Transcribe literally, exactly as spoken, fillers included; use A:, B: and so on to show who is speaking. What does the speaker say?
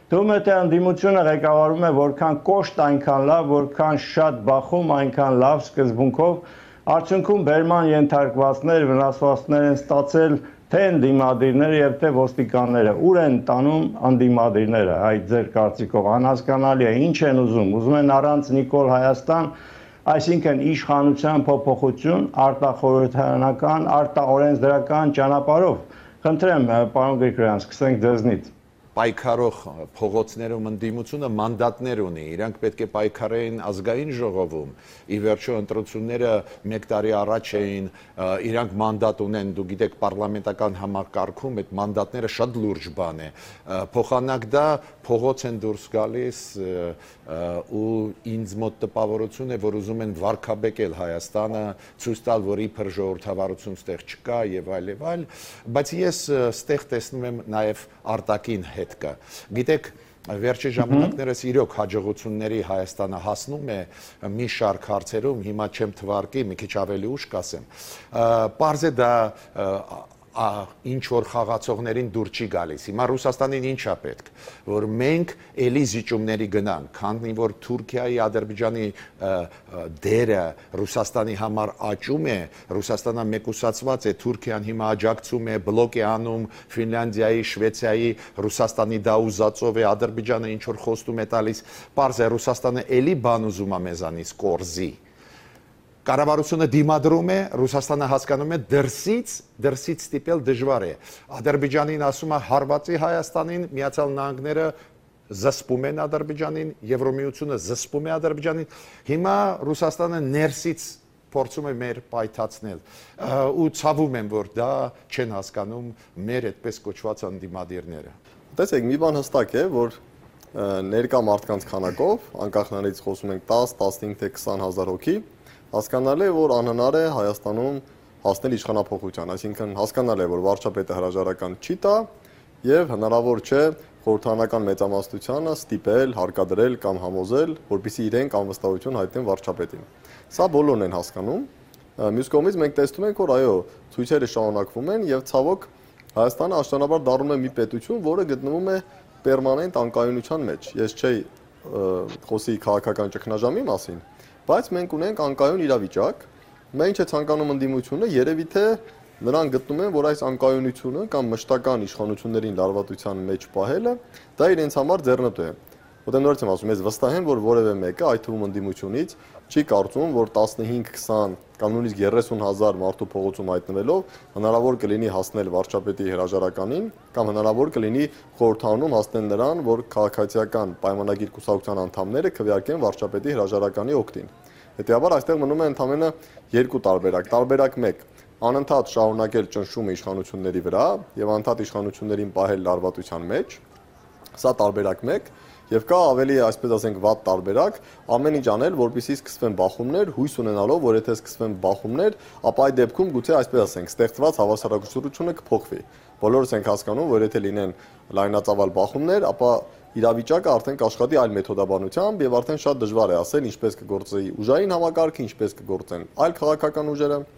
A: Թվում է թե ընդդիմությունը ղեկավարում է որքան կոշտ այնքան լավ, որքան շատ բախում այնքան լավ սկզբունքով, արդյունքում բերման ենթարկվածներ, վնասվածքներ են ստացել թե ընդդիմադիրները եւ թե ոստիկանները, ուր են տանում ընդդիմադիրները, այդ ձեր կարծիքով անհասկանալի է, ինչ են ուզում, ուզում են առանց Նիկոլ Հայաստան, այսինքն իշխանության փոփոխություն, արտախորհրդարանական, արտաօրենսդրական ճանապարհով։ Խնդրեմ, պարոն Գրիգորյան, սկսենք ձեզնից։
B: Պայքարող փողոցներում ընդդիմությունը մանդատներ ունի, իրանք պետք է պայքարեին ազգային ժողովում, ի վերջո ընտրությունները մեկ տարի առաջ էին, իրանք մանդատ ունեն, դու գիտեք, պարլամենտական համակարգում այդ մանդատները շատ լուրջ բան է, փոխանակ դա փողոց են դուրս գալիս ու ինձ մոտ տպավորություն է, որ ուզում են վարկաբեկել Հայաստանը, ցույց տալ, որ իբր ժողովրդավարություն ստեղ չկա եւ այլ եւ այլ, բայց ես ստեղ տեսնում եմ նաեւ արտաքին հետ կա։ Գիտեք, վերջի ժամանակներս իրոք հաջողությունների Հայաստանը հասնում է մի շարք հարցերում, հիմա չեմ թվարկի, մի քիչ ավելի ուշ կասեմ։ Պարզ է դա ինչ որ խաղացողներին դուր չի գալիս։ Հիմա Ռուսաստանին ինչա պետք, որ մենք էլի զիջումների գնանք, քանի որ Թուրքիայի, Ադրբեջանի դերը Ռուսաստանի համար աճում է, Ռուսաստանը մեկուսացված է, Թուրքիան հիմա աջակցում է, բլոկ է անում Ֆինլանդիայի, Շվեցիայի, Ռուսաստանի դա ուզածով է, Ադրբեջանը ինչ որ խոստում է տալիս, պարզ է Ռուսաստանը էլի բան ուզում է մեզանից կորզի։ Կառավարությունը դիմադրում է, Ռուսաստանը հասկանում է դրսից, դրսից ստիպել դժվար է։ Ադրբեջանին ասում է հարվածի Հայաստանին, Միացյալ Նահանգները զսպում են Ադրբեջանին, Եվրոմիությունը զսպում է Ադրբեջանին։ Հիմա Ռուսաստանը ներսից փորձում է մեր պայթացնել ու ցավում եմ, որ դա չեն հասկանում մեր այդպես կոչված ընդդիմադիրները։
C: Տեսեք, մի բան հստակ է, որ ներկա մարդկանց քանակով, անկախ նրանից խոսում ենք տաս, տասնհինգ թե քսան հազար հոգի, հասկանալի է, որ անհնար է Հայաստանում հասնել իշխանափոխության, այսինքն հասկանալի է, որ վարչապետը հրաժարական չի տա եւ հնարավոր չէ խորհրդարանական մեծամասնությանը ստիպել, հարկադրել կամ համոզել, որպեսզի իրենք անվստահություն հայտնեն վարչապետին։ Սա բոլորն են հասկանում։ Մյուս կողմից մենք տեսնում ենք, որ այո, ցույցերը շարունակվում են եւ ցավոք Հայաստանը աշտանաբար դառնում է մի պետություն, որը գտնվում է պերմանենտ անկայունության մեջ։ Ես չէի խոսի քաղաքական ճգնաժամի մասին, բայց մենք ունենք անկայուն իրավիճակ, մենք չէ ցանկանում ընդդիմությունը, երևի թե նրանք գտնում են, որ այս անկայունությունը կամ մշտական իշխանություններին լարվածության մեջ պահելը, դա իրենց համար ձեռնտու է։ Որտեղ նորից եմ ասում, ես վստահ եմ, որ որևէ մեկը, այդ թվում ընդդիմությունից, չի կարծում, որ տասնհինգ քսան կամ նույնիսկ երեսուն հազար մարդու փողոցում հայտնվելով հնարավոր կլինի հասնել վարչապետի հրաժարականին կամ հնարավոր կլինի խորհրդարանում հասնել նրան, որ քաղաքացիական պայմանագիր կուսակցության անդամները քվեարկեն վարչապետի հրաժարականի օգտին։ Հետևաբար այստեղ մնում է ընդամենը երկու տարբերակ։ Տարբերակ մեկ՝ անընդհատ շարունակել ճնշումը իշխանությունների վրա եւ անընդհատ իշխանություններին պահել լարվածության մեջ։ Սա տարբերակ մեկ։ Եվ կա ավելի, այսպես ասենք, վատ տարբերակ, ամեն ինչ անել, որպեսզի սկսվեն բախումներ, հույս ունենալով, որ եթե սկսվեն բախումներ, ապա այդ դեպքում գուցե այսպես ասենք, ստեղծված հավասարակշռությունը կփոխվի։ Բոլորս ենք հասկանում, որ եթե լինեն լայնածավալ բախումներ, ապա իրավիճակը արդեն կաշխատի այլ մեթոդաբանությամբ եւ արդեն շատ դժվար է ասել ինչպես կգործի ուժային համակարգը, ինչպես կգործեն այլ քաղաքական ուժերը։